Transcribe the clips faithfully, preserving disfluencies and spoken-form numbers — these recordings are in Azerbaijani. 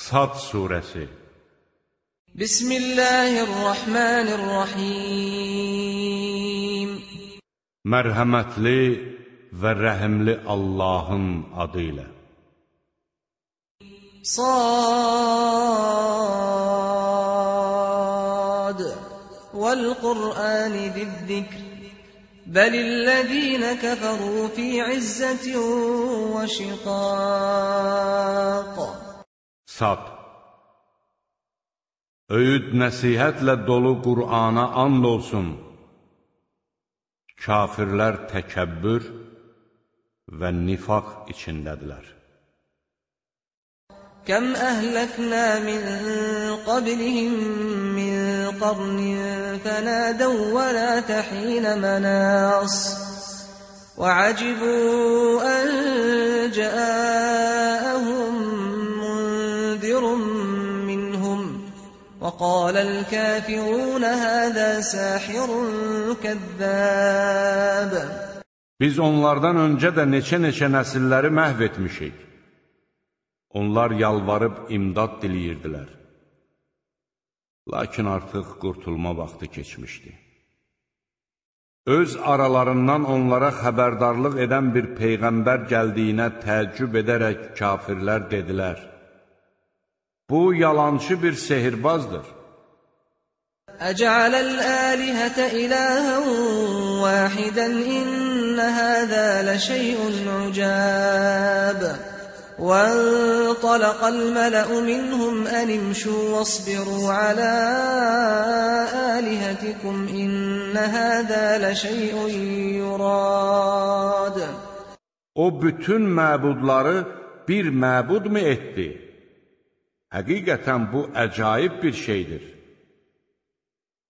Sad surəsi. Bismillahirrahmanirrahim. Mərhəmətli və rəhimli Allahın adı ilə. Sad Vəl-Qur'ani ziz-zikr Bəlillezîne kəfərû fî izzətin və şiqâq. Sad. Öyüd nəsihətlə dolu Qur'ana and olsun. Kafirlər təkəbbür və nifaq içindədirlər. Kəm əhləknə min qablihim min qarnin fənədəv və lə təxinə mənəs və acibū ən cəəəhum mundirun minhum və qaləl kəfirun həzə səhirun kəzzəb. Biz onlardan öncə də neçə-neçə nəsilləri məhv etmişik. Onlar yalvarıb imdad diləyirdilər. Lakin artıq qurtulma vaxtı keçmişdi. Öz aralarından onlara xəbərdarlıq edən bir peyğəmbər gəldiyinə təəccüb edərək kafirlər dedilər: Bu yalançı bir sehirbazdır. Əcələl əlihətə iləhən vəhidən innə həzə ləşəy'un ucəb. وانطلق الملأ منهم أن امشوا واصبروا على آلهتكم إن هذا لشيء يراد. O bütün məbudları bir məbud mu etdi? Həqiqətən bu əcaib bir şeydir.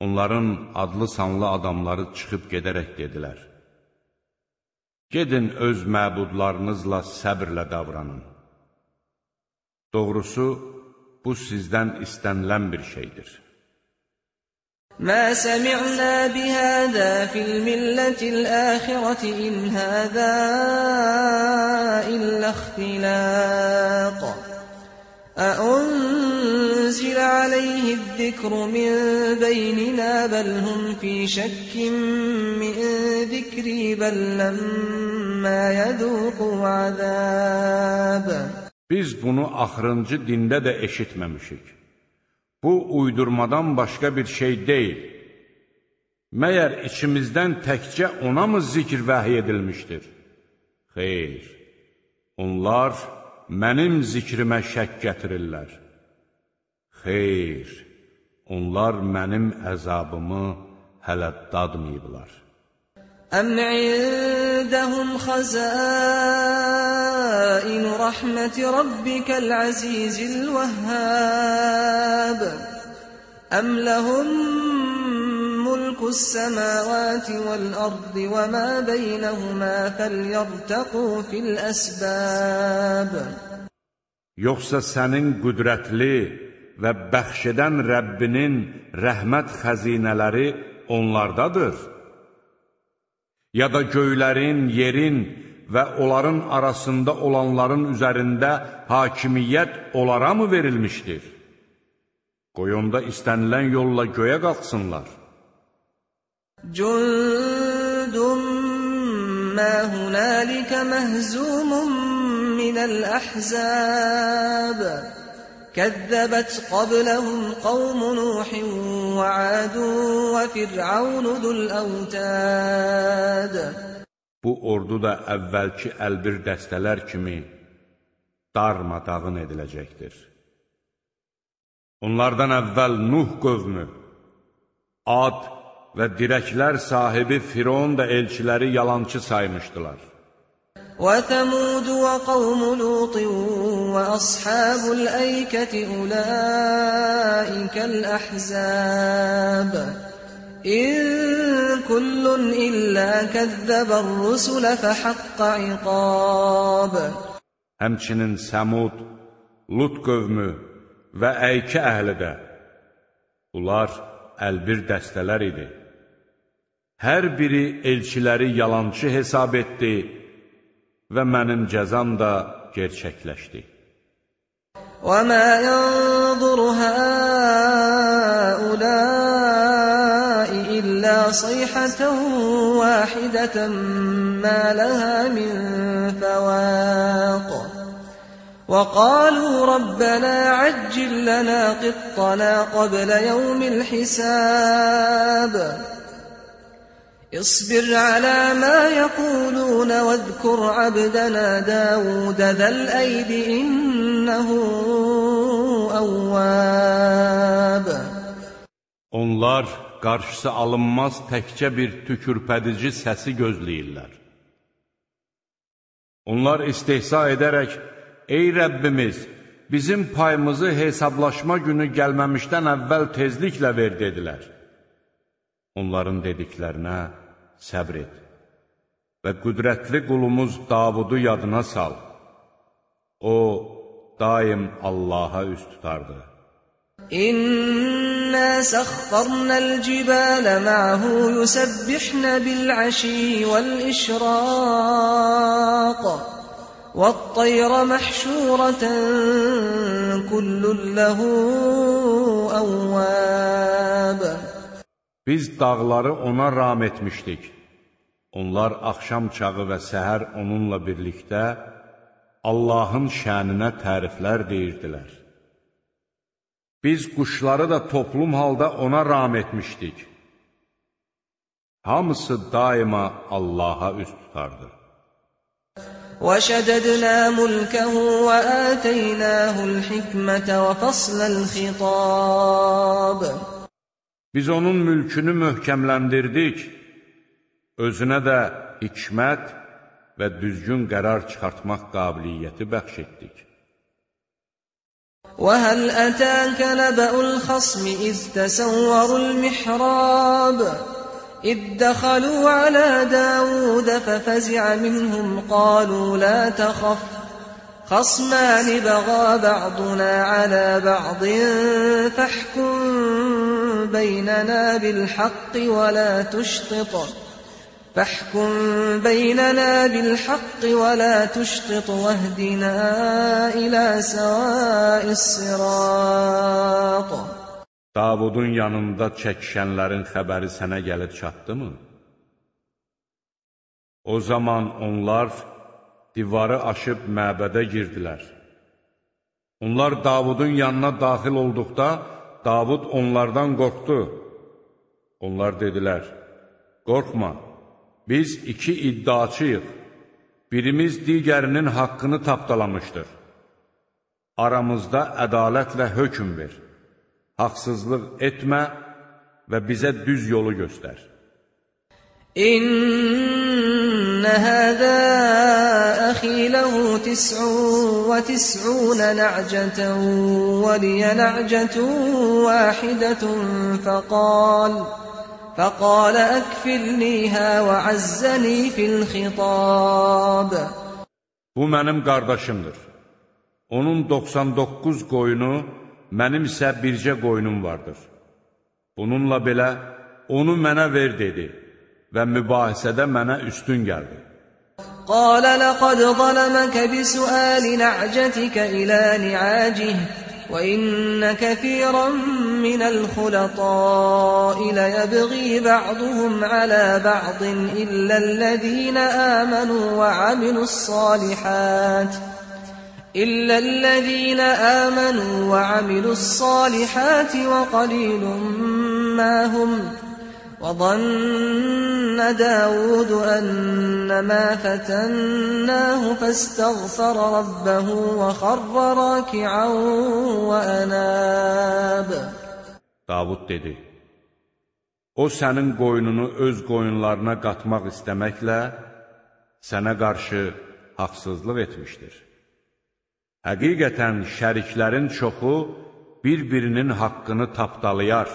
Onların adlı sanlı adamları çıxıb gedərək dedilər: Gedin öz məbudlarınızla səbrlə davranın. Doğrusu, bu sizdən istənilən bir şeydir. Mə səmi'nə bihəzə fil millətil əxirəti in həzə illə ixtiləq. Əunzilə aleyhiz-zikru min beynina bəl hum fi şəkkin min zikri bəl ləmmə yəduqu azəb. Biz bunu axırıncı dində də eşitməmişik. Bu, uydurmadan başqa bir şey deyil. Məyər içimizdən təkcə ona mı zikr vəhiy edilmişdir? Xeyr, onlar mənim zikrimə şək gətirirlər. Xeyr, onlar mənim əzabımı hələ dadmayıblar. Əm indəhum xəzəin rəhməti rabbikəl əzizil vəhhəb. Əm ləhum mulkus səməvəti vəl-ərdi və mə beynəhumə fəlyərtəqu fil əsbəb. Yoxsa sənin qüdrətli və bəxş edən Rəbbinin rəhmət xəzinələri onlardadır. Ya da göylərin, yerin və onların arasında olanların üzərində hakimiyyət onlara mı verilmişdir? Qoy onda istənilən yolla göyə qalxsınlar. Cündun mə hunəlikə məhzumun minəl əhzəb. كذبت قبلهم قوم نوح وعاد وفرعون ذو الأوتاد. Bu ordu da əvvəlki əlbir dəstələr kimi darmadağın ediləcəkdir. Onlardan əvvəl Nuh qövmü, Ad və dirəklər sahibi Firon da elçiləri yalançı saymışdılar. وَثَمُودُ وَقَوْمُ لُوطٍ وَأَصْحَابُ الْأَيْكَةِ أُولَٰئِكَ الْأَحْزَابُ إِن كُلٌّ إِلَّا كَذَّبَ الرُّسُلَ فَحَقَّ عِقَابِ. Həmçinin Səmud, Lut qövmü və Əykə əhli də, bunlar əlbir dəstələr idi. Hər biri elçiləri yalançı hesab etdi və mənim cəzam da gerçəkləşdi. وَمَا يَنظُرُ هَؤُلَاءِ إِلَّا صَيْحَةً وَاحِدَةً مَا لَهَا مِنْ فَوَاقٍ وَقَالُوا رَبَّنَا عَجِّلْ لَنَا قِطَّنَا قَبْلَ يَوْمِ الْحِسَابِ اصْبِرْ عَلَى مَا يَقُولُونَ وَاذْكُرْ عَبْدَنَا دَاوُودَ ذَا الْأَيْدِ إِنَّهُ أَوَّابٌ. Onlar qarşısı alınmaz təkcə bir tükürpədici səsi gözləyirlər. Onlar istehza edərək, ey Rəbbimiz, bizim payımızı hesablaşma günü gəlməmişdən əvvəl tezliklə ver, dedilər. Onların dediklərinə səbr et və qüdrətli qulumuz Davudu yadına sal. O, daim Allaha üst tutardı. İnna səxxarnəl cibalə ma'hu yusabbihna bil'ashi wal-işraq وَالطَّيْرَ مَحْشُورَةً كُلٌّ لَهُ أَوَّابٌ. Biz dağları ona ram etmişdik. Onlar axşam çağı və səhər onunla birlikdə Allahın şəninə təriflər deyirdilər. Biz quşları da toplum halda ona ram etmişdik. Hamısı daima Allaha üst tutardı. وَشَدَدْنَا مُلْكَهُ وَآتَيْنَاهُ الْحِكْمَةَ وَفَصْلَ الْخِطَابِ. Biz onun mülkünü möhkəmləndirdik, özünə də hikmət və düzgün qərar çıxartmaq qabiliyyəti bəxş etdik. وَهَلْ أَتَاكَ نَبَأُ الْخَصْمِ إِذْ تَسَوَّرُوا الْمِحْرَابَ إِذْ دَخَلُوا عَلَى دَاوُودَ فَفَزِعَ مِنْهُمْ قَالُوا لَا تَخَفْ خَصْمَانِ بَغَى بَعْضُنَا عَلَى بَعْضٍ فَاحْكُم بَيْنَنَا بِالْحَقِّ وَلَا تُشْطِطْ فَاحْكُم بَيْنَنَا بِالْحَقِّ وَلَا تُشْطِطْ وَاهْدِنَا إِلَى سَوَاءِ الصِّرَاطِ. Davudun yanında çəkişənlərin xəbəri sənə gəlib çatdımı? O zaman onlar divarı aşıb məbədə girdilər. Onlar Davudun yanına daxil olduqda, Davud onlardan qorxdu. Onlar dedilər, qorxma, biz iki iddiaçıyıq, birimiz digərinin haqqını tapdalamışdır. Aramızda ədalətlə hökm ver. Haqsızlıq etmə və bizə düz yolu göstər. İnnə həzə əxi ləhu tis'un və tis'unə nə'cətən və liyə nə'cətun vahidətun fəqal fəqalə əkfilniyhə və əzzəni fil xitab. Bu mənim qardaşımdır. Onun doxsan doqquz qoyunu, mənim isə bircə qoyunum vardır. Bununla belə, onu mənə ver, dedi və mübahisədə mənə üstün gəldi. Qalə ləqəd zələməkə bisuəli nə'cətikə ilə ni'acih və innə kəfirən minəl xulətəi ləyəbği bə'duhum alə bə'din illəl-ləzīnə əmənu və amilu's-salihət إلا الذين آمنوا وعملوا الصالحات وقليل ما هم وظن داود أنما فتناه فاستغفر ربه وخر راكعا وأناب. Davud dedi, o sənin qoyununu öz qoyunlarına qatmaq istəməklə sənə qarşı haqsızlıq etmişdir. Həqiqətən şəriklərin çoxu bir-birinin haqqını tapdalayar,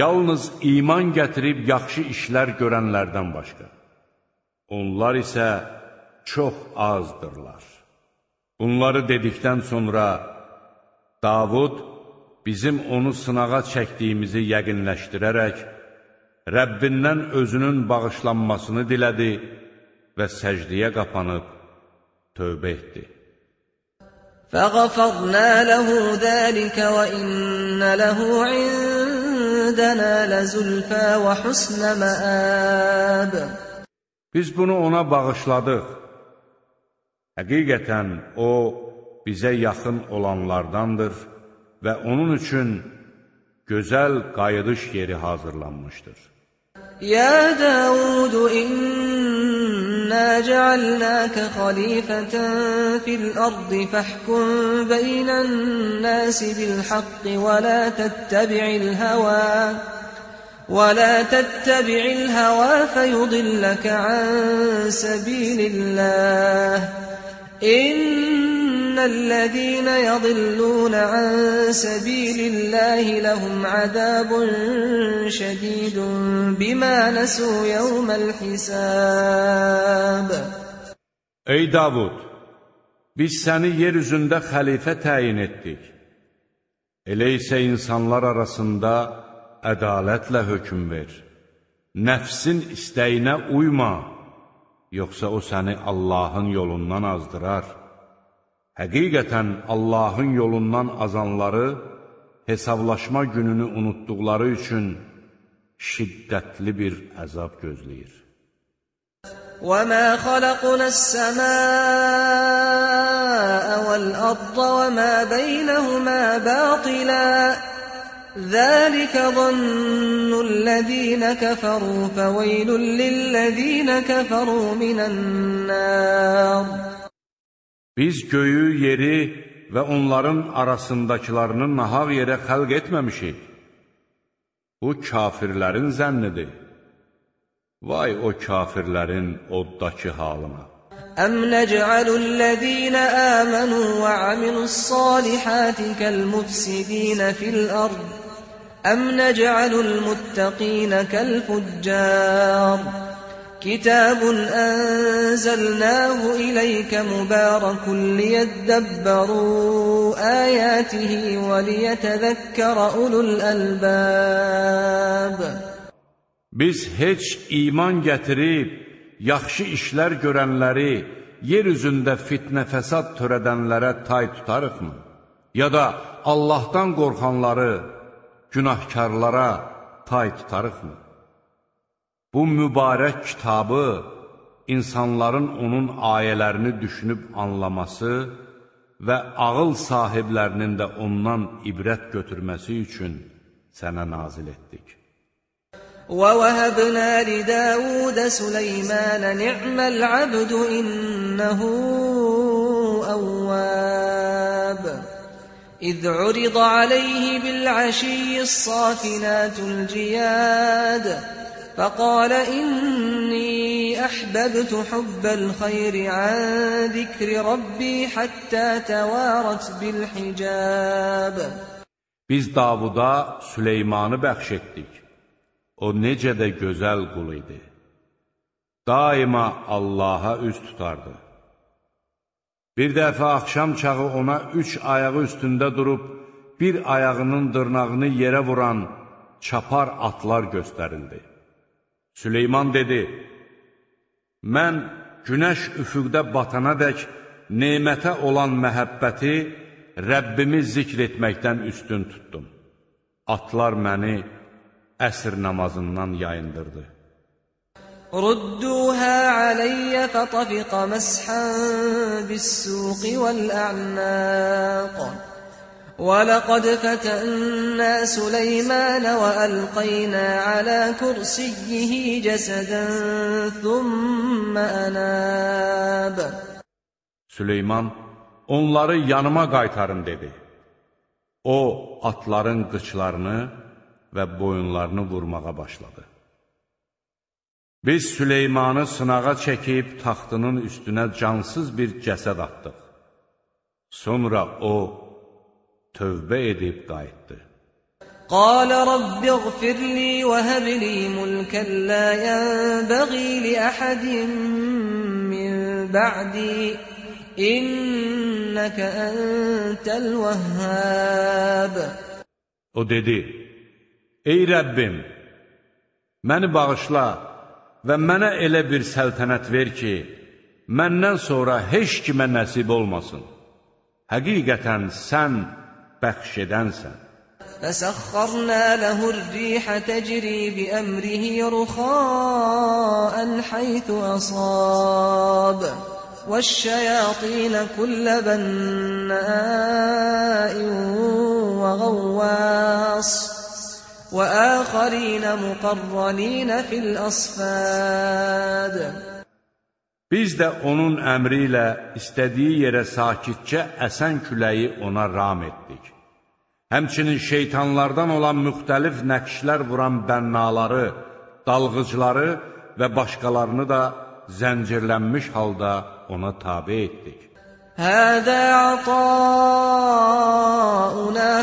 yalnız iman gətirib yaxşı işlər görənlərdən başqa. Onlar isə çox azdırlar. Bunları dedikdən sonra Davud bizim onu sınağa çəkdiyimizi yəqinləşdirərək Rəbbindən özünün bağışlanmasını dilədi və səcdiyə qapanıb tövbə etdi. فَغَفَرْنَا لَهُ ذَلِكَ وَإِنَّ لَهُ عِندَنَا لَزُلْفَى وَحُسْنَ مَآبٍ. Biz bunu ona bağışladıq. Həqiqətən o, bizə yaxın olanlardandır və onun üçün gözəl qayıdış yeri hazırlanmışdır. Ya Davud, inna cealnaka khalifatan fil ardı fahkum beynen nasi bil haqqi ve la tettabi'il hava ve la tettabi'il hava feyudillaka an sabilillah. İnnellezîne yadillûne an sebîlillâhi lehum azâbun şedîdun bimâ nesû yevmel hisâb. Ey Davud! Biz səni yeryüzündə xəlifə təyin etdik. Elə isə insanlar arasında ədalətlə hökm ver. Nəfsin istəyinə uyma. Yoxsa o səni Allahın yolundan azdırar. Həqiqətən Allahın yolundan azanları hesablaşma gününü unutduqları üçün şiddətli bir əzab gözləyir. وَمَا خَلَقْنَا السَّمَاءَ وَالْأَرْضَ وَمَا بَيْنَهُمَا بَاطِلًا ذَلِكَ ظَنُّ الَّذِينَ كَفَرُوا فَوَيْلٌ لِلَّذِينَ كَفَرُوا مِنَ النَّارِ. Biz göyü, yeri və onların arasındakılarını nahaq yerə xəlq etməmişik. Bu kafirlərin zənnidir. Vay o kafirlərin oddakı halına. أَمْ نَجْعَلُ الَّذِينَ آمَنُوا وَعَمِلُوا الصَّالِحَاتِ كَالْمُفْسِدِينَ فِي الْأَرْضِ أَمْ نَجْعَلُ الْمُتَّقِينَ كَالْفُجَّارِ. كِتَابٌ أَنزَلْنَاهُ إِلَيْكَ مُبَارَكٌ لِيَدَّبَّرُوا آيَاتِهِ وَلِيَتَذَكَّرَ أُولُو الْأَلْبَابِ. Biz heç iman gətirib, yaxşı işlər görənləri, yer üzündə fitnə fəsad törədənlərə tay tutarıqmı? Ya da Allahdan qorxanları, günahkarlara tay tutarıqmı? Bu mübarək kitabı, insanların onun ayələrini düşünüb anlaması və ağıl sahiblərinin də ondan ibrət götürməsi üçün sənə nazil etdik. وَوَهَبْنَا لِدَاوُودَ سُلَيْمَانَ نِعْمَ الْعَبْدُ إِنَّهُ أَوَّابٌ. إِذْ عُرِضَ عَلَيْهِ بِالْعَشِيِّ الصَّافِنَاتُ الْجِيَادُ فَقَالَ إِنِّي أَحْبَبْتُ حُبَّ الْخَيْرِ عَنْ ذِكْرِ رَبِّي حَتَّى تَوَارَتْ بِالْحِجَابِ. Biz Davuda Süleymanı bəxş etdik. O necə də gözəl qul idi. Daima Allaha üz tutardı. Bir dəfə axşam çağı ona üç ayağı üstündə durub, bir ayağının dırnağını yerə vuran çapar atlar göstərildi. Süleyman dedi, mən günəş üfüqdə batana dək nemətə olan məhəbbəti Rəbbimi zikr etməkdən üstün tutdum. Atlar məni əsr namazından yayındırdı. Rudduha aleyyə fətafiqa məsxən bis-suqi vəl-ə'naq. وَلَقَدْ فَتَنَّا سُلَيْمَانَ وَأَلْقَيْنَا عَلَى كُرْسِيِّهِ جَسَدًا ثُمَّ أَنَابَ. Süleyman, onları yanıma qaytarın dedi. O, atların qıçlarını və boyunlarını vurmağa başladı. Biz Süleymanı sınağa çəkib taxtının üstünə cansız bir cəsəd atdıq. Sonra o, tövbə edib qayıtdı. قال رب اغفر لي وهب لي ملكا لا ينبغي لأحد من بعدي إنك أنت الوهاب. O dedi, ey Rəbbim, məni bağışla və mənə elə bir səltənət ver ki, məndən sonra heç kimə nəsib olmasın. həqiqətən sən bəxş edənsən. فَسَخَّرْنَا لَهُ الرِّيحَ تَجْرِي بِأَمْرِهِ رُخَاءً حَيْثُ أَصَابَ وَالشَّيَاطِينَ كُلَّ بَنَّاءٍ وَغَوَّاصٍ وَآخَرِينَ مُقَرَّنِينَ فِي الْأَصْفَادِ. Biz də onun əmri ilə istədiyi yerə sakitcə əsən küləyi ona ram etdik. Həmçinin şeytanlardan olan müxtəlif nəqşlər vuran bənnaları, dalğıcları və başqalarını da zəncirlənmiş halda ona tabe etdik. هَذَا عَطَاؤُنَا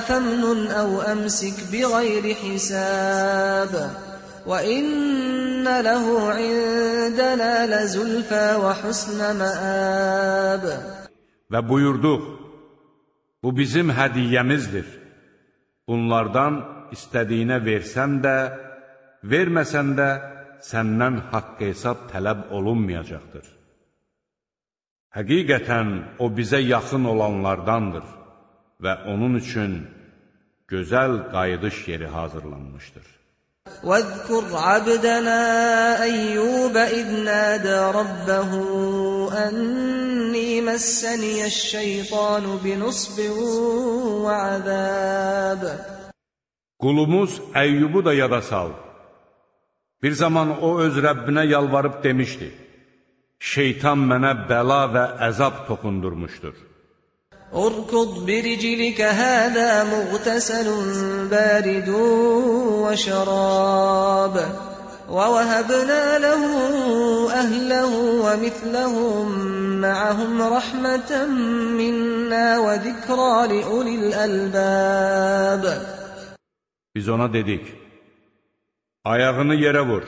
فَامْنُنْ أَوْ أَمْسِكْ بِغَيْرِ حِسَابٍ وَإِنَّ لَهُ عِندَنَا لَزُلْفَى وَحُسْنَ مَآبٍ. Və buyurduq, bu bizim hədiyyəmizdir. Bunlardan istədiyinə versən də, verməsən də səndən haqq hesab tələb olunmayacaqdır. Həqiqətən o bizə yaxın olanlardandır və onun üçün gözəl qayıdış yeri hazırlanmışdır. وَاذْكُرْ عَبْدَنَا أَيُّوبَ إِذْ نَادَى رَبَّهُ أَنِّي مَسَّنِيَ الشَّيْطَانُ بِنُصْبٍ وَعَذَابٍ. Qulumuz Əyyubu da yada sal. Bir zaman o öz Rəbbinə yalvarıb demişdi, şeytan mənə bəla və əzab toxundurmuşdur. اُرْكُضْ بِرِجِلِكَ هَذَا مُغْتَسَلٌ بَارِدٌ وَشَرَابٌ وَوَهَبْنَا لَهُ أَهْلَهُ وَمِثْلَهُمْ مَعَهُمْ رَحْمَةً مِنَّا وَذِكْرَى لِأُولِي الْأَلْبَابِ. Biz ona dedik, ayağını yerə vur.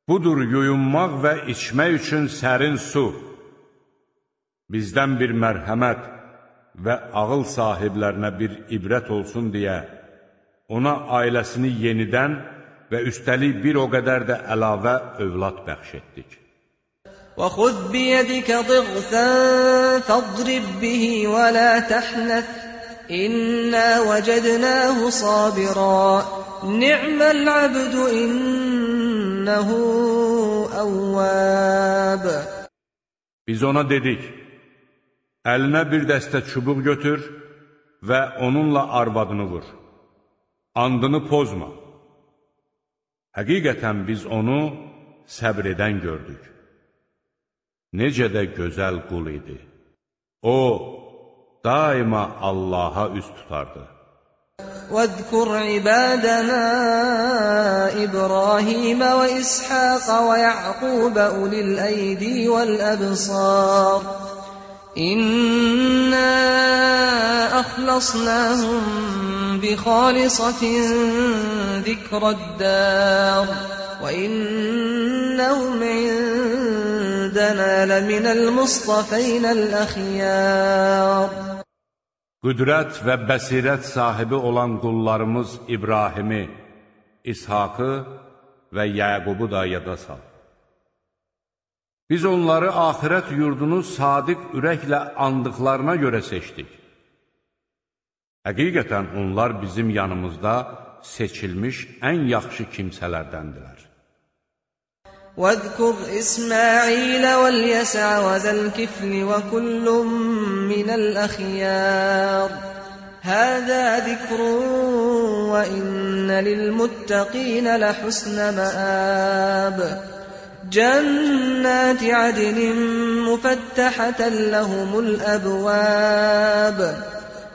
Budur yuyunmaq və içmək üçün sərin su. Bizdən bir mərhəmət və ağıl sahiblərinə bir ibrət olsun deyə ona ailəsini yenidən və üstəlik bir o qədər də əlavə övlad bəxş etdik. وَخُذْ بِيَدِكَ ضِغْثًا فَاضْرِبْ بِهِ وَلَا تَحْنَثْ إِنَّا وَجَدْنَاهُ صَابِرًا نِعْمَ الْعَبْدُ إِنَّهُ أَوَّابٌ. Biz ona dedik, əlinə bir dəstə çubuq götür və onunla arvadını vur. Andını pozma. Həqiqətən biz onu səbr edən gördük. Necə də gözəl qul idi. O, daima Allaha üz tutardı. وَاذْكُرْ عِبَادَنَا إِبْرَاهِيمَ وَإِسْحَاقَ وَيَعْقُوبَ أُولِي الْأَيْدِي وَالْأَبْصَارِ إِنَّا أَخْلَصْنَاهُمْ بِخَالِصَةٍ ذِكْرَى الدَّارِ وَإِنَّهُمْ عِندَنَا لَمِنَ الْمُصْطَفَيْنَ الْأَخْيَارِ. Qüdrət və bəsirət sahibi olan qullarımız İbrahimi, İshakı və Yəqubu da yada sal. Biz onları axirət yurdunu sadiq ürəklə andıqlarına görə seçdik. Həqiqətən onlar bizim yanımızda seçilmiş ən yaxşı kimsələrdəndirlər. وَاذْكُرْ إِسْمَاعِيلَ وَالْيَسَعَ وَذَا الْكِفْلِ وَكُلٌّ مِّنَ الْأَخْيَارِ هَذَا ذِكْرٌ وَإِنَّ لِلْمُتَّقِينَ لَحُسْنَ مَآبٍ جَنَّاتِ عَدْنٍ مُفَتَّحَةً لَهُمُ الْأَبْوَابُ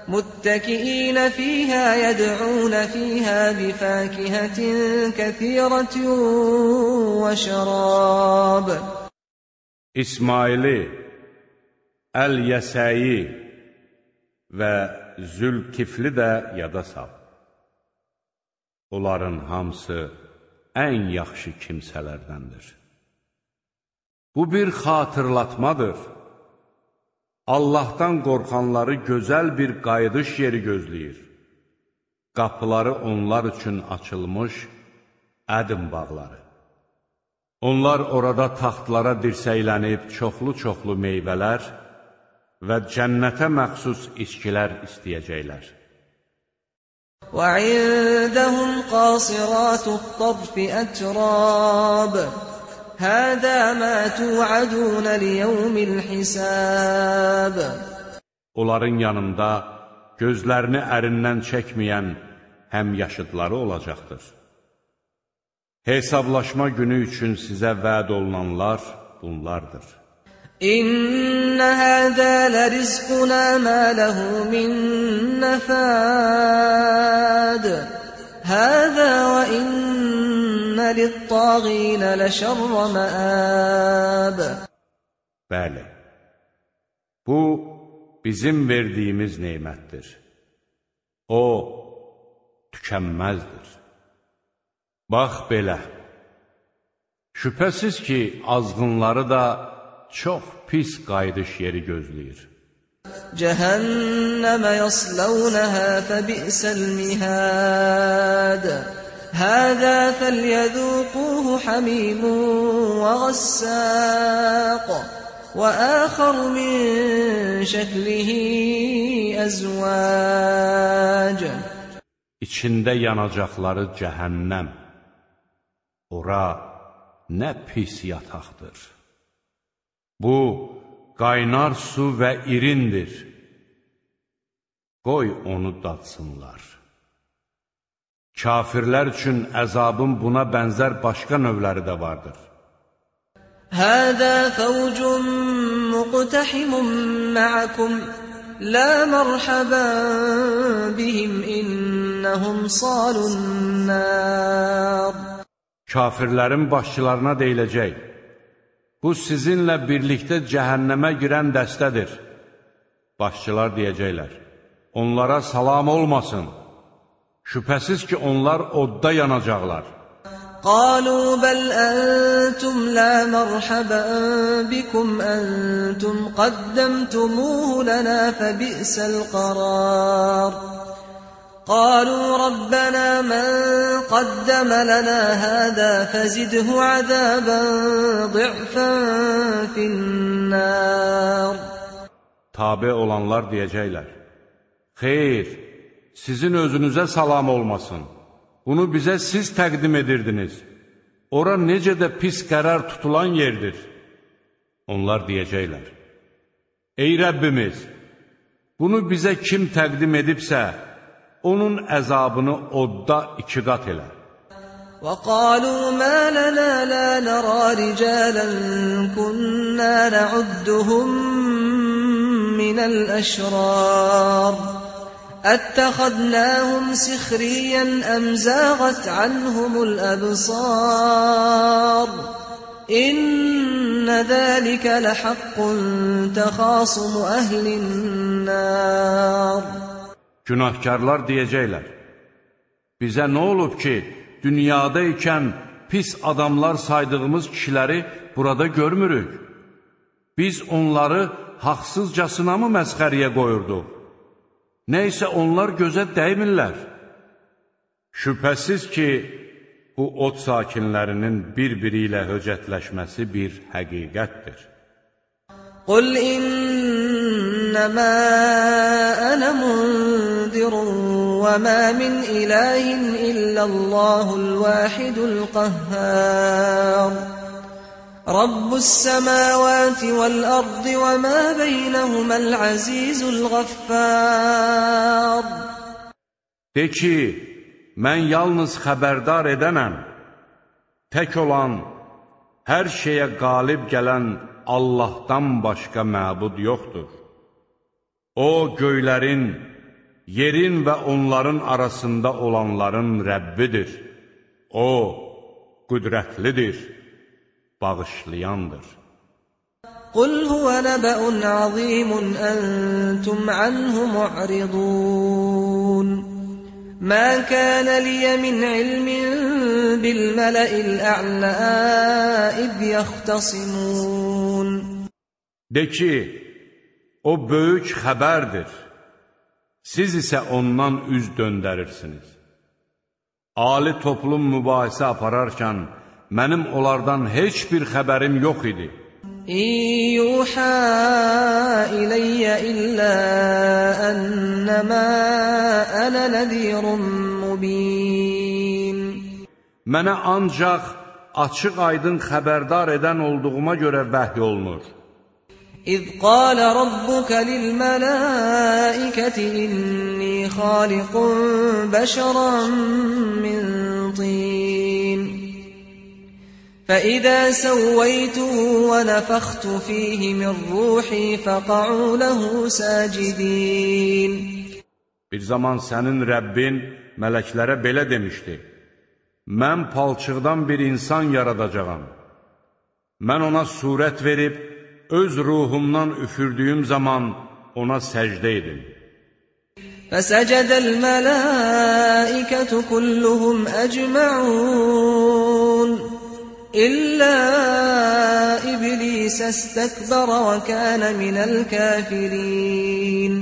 مُتَّكِئِينَ فِيهَا يَدْعُونَ فِيهَا بِفَاكِهَةٍ كَثِيرَةٍ وَشَرَابٍ. İsmaili, Əl-Yəsəyi və Zülkifli də yada sal. Onların hamısı ən yaxşı kimsələrdəndir. Bu bir xatırlatmadır. Allahdan qorxanları gözəl bir qayıdış yeri gözləyir. Qapıları onlar üçün açılmış Ədn bağları. Onlar orada taxtlara dirsəylənib çoxlu-çoxlu meyvələr, və cənnətə məxsus içkilər istəyəcəklər. وَعِندَهُمْ قَاصِرَاتُ الطَّرْفِ أَتْرَابٌ هَذَا مَا تُوعَدُونَ لِيَوْمِ الْحِسَابِ. Onların yanında gözlərini ərindən çəkməyən həmyaşıdları olacaqdır. Hesablaşma günü üçün sizə vəd olunanlar bunlardır. İnne hâzâ lerizqunâ mâ lehu min nefâd. Hâzâ ve inne littâgîne leşerre meâb. Bəli, bu bizim verdiyimiz neymətdir. O, tükənməzdir. Bax belə, şübhəsiz ki, azğınları da çox pis qayıdış yeri gözləyir. Cəhənnəmə yaslawnaha fəbi'səl mihad. Həzə fəlyəzūquhu hamimun və qassaq və əxər min şəklihi əzvəc. İçində yanacaqları cəhənnəm. Ora nə pis yataqdır. Bu, qaynar su və irindir. Qoy onu dadsınlar. Kafirlər üçün əzabın buna bənzər başqa növləri də vardır. Həzə fəvcun muqtəhimun mə'akum, la mərhəbən bihim innəhum salun nər. Kafirlərin başçılarına deyiləcək, bu sizinlə birlikdə cəhənnəmə girən dəstədir. Başçılar deyəcəklər, onlara salam olmasın. Şübhəsiz ki, onlar odda yanacaqlar. Qalu bəl əntum la mərhəbən bikum əntum qaddəmtumuhu lənə fəbi'səl qarar. قالوا ربنا من قدم لنا هذا فزده عذابا ضعفا في النار. Tabe olanlar deyəcəklər, xeyr, sizin özünüzə salam olmasın. Bunu bizə siz təqdim edirdiniz. Ora necə də pis qərar tutulan yerdir. Onlar deyəcəklər, ey Rəbbimiz, bunu bizə kim təqdim edibsə, onun əzabını odda iki qat elə. وَقَالُوا مَا لَنَا لَا نَرَى رِجَالًا كُنَّا نَعُدُّهُمْ مِنَ الْأَشْرَارِ أَتَّخَذْنَاهُمْ سِخْرِيًّا أَمْ زَاغَتْ عَنْهُمُ الْأَبْصَارُ إِنَّ ذَلِكَ لَحَقٌّ تَخَاصُمُ أَهْلِ النَّارِ. Günahkarlar deyəcəklər, bizə nə olub ki, dünyada ikən pis adamlar saydığımız kişiləri burada görmürük. Biz onları haqsızcasına mı məsxəriyə qoyurduq? Nəysə onlar gözə dəymirlər. Şübhəsiz ki, bu od sakinlərinin bir-biri ilə höcətləşməsi bir həqiqətdir. Qul innəmə ənə mundirun və mə min ilahin illallahul vahidul qəhhər. Rabbus səməvəti vəl-ərdi və mə beynəhuməl əzizul qəffər. De ki, mən yalnız xəbərdar edənəm, tək olan, hər şeyə qalib gələn Allahdan başqa məbud yoxdur. O, göylərin, yerin və onların arasında olanların Rəbbidir. O, qüdrətlidir, bağışlayandır. Qul huvə nəbəun əzimun əntum anhu mu'ridun. مَا كَانَ لِيَ مِنْ عِلْمٍ بِالْمَلَإِ الْأَعْلَى إِذْ يَخْتَصِمُونَ. De ki, o böyük xəbərdir. Siz isə ondan üz döndərirsiniz. Ali toplum mübahisə apararkən, mənim onlardan heç bir xəbərim yox idi. يوحى إلي إلا أنما أنا نذير مبين. Mənə ancaq açıq aydın xəbərdar edən olduğuma görə vəhy olunur. إذ قال ربك للملائكة إني خالق بشرا من طين فإذا سويته ونفخت فيه من روحي فقعوا له ساجدين. Bir zaman sənin Rəbbin mələklərə belə demişdi: Mən palçıqdan bir insan yaradacağam. Mən ona surət verib, öz ruhumdan üfürdüyüm zaman ona səcdə edin. فَسَجَدَ الْمَلَائِكَةُ كُلُّهُمْ أَجْمَعُونَ إِلَّا إِبْلِيسَ اسْتَكْبَرَ وَكَانَ مِنَ الْكَافِرِينَ.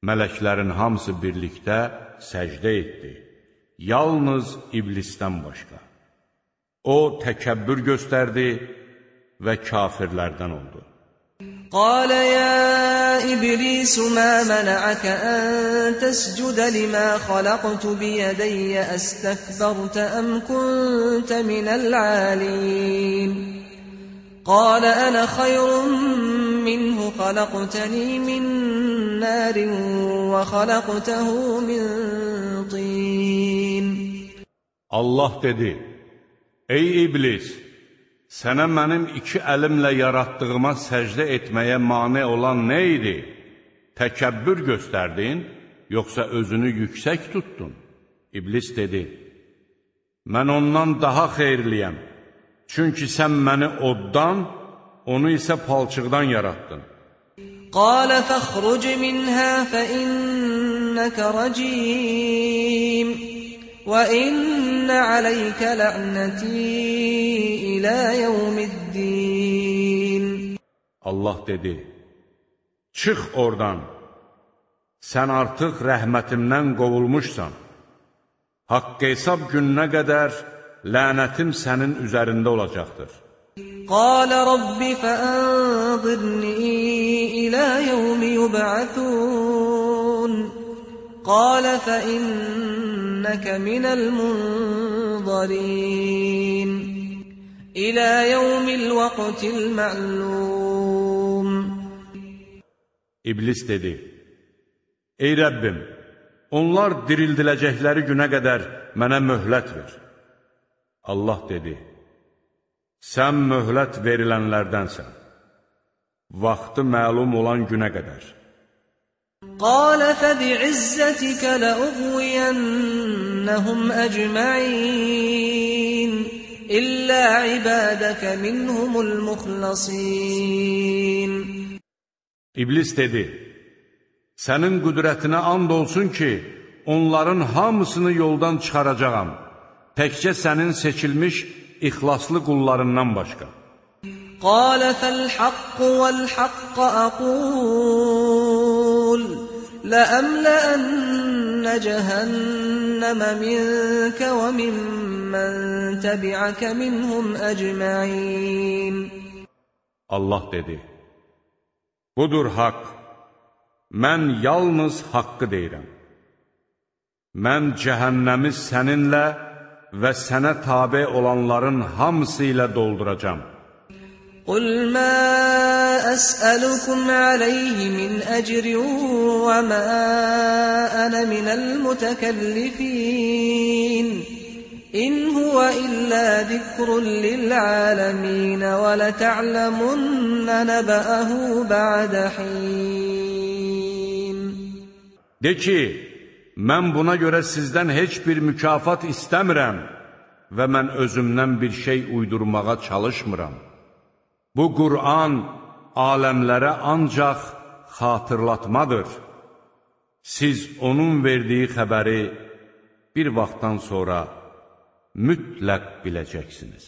Mələklərin hamısı birlikdə səcdə etdi. Yalnız iblisdən başqa. O təkəbbür göstərdi və kafirlərdən oldu. قال يا إبليس ما منعك أن تسجد لما خلقت بيدي أستكبرت أم كنت من العالين قال أنا خير منه خلقتني من نار وخلقته من طين. Allah dedi: Ey iblis! Sənə mənim iki əlimlə yaratdığıma səcdə etməyə mane olan nə idi? Təkəbbür göstərdin, yoxsa özünü yüksək tutdun? İblis dedi: Mən ondan daha xeyirliyəm. Çünki sən məni oddan, onu isə palçıqdan yarattın. قال فاخرج منها فإنك رجيم وإن عليك لعنتي إلى يوم الدين. Allah dedi: Çıx oradan. Sən artıq rəhmətimdən qovulmuşsan. Haqq hesab gününə qədər lənətim sənin üzərində olacaqdır. قال رب فأنظرني إلى يوم يبعثون قال فإنك من المنظرين إلى يوم الوقت المعلوم. İblis dedi: Ey Rəbbim, onlar dirildiləcəkləri günə qədər mənə möhlət ver. Allah dedi: Sən möhlət verilənlərdənsən, vaxtı məlum olan günə qədər. قال فبعزتك لأغوينهم أجمعين إلا عبادك منهم المخلصين. İblis dedi: Sənin qüdrətinə and olsun ki, onların hamısını yoldan çıxaracağam, təkcə sənin seçilmiş ixlaslı qullarından başqa. قال فالحق والحق أقول لأملأن جهنم منك وممن تبعك منهم أجمعين. Allah dedi: Budur haqq. Mən yalnız haqqı deyirəm. Mən cəhənnəmi səninlə və sənə tabe olanların hamısı ilə dolduracam. قل ما أسألكم عليه من أجر وما أنا من المتكلفين إن هو إلا ذكر للعالمين ولتعلمن نبأه بعد حين. De ki, mən buna görə sizdən heç bir mükafat istəmirəm və mən özümdən bir şey uydurmağa çalışmıram. Bu Qur'an aləmlərə ancaq xatırlatmadır. Siz onun verdiği xəbəri bir vaxtdan sonra mütləq biləcəksiniz.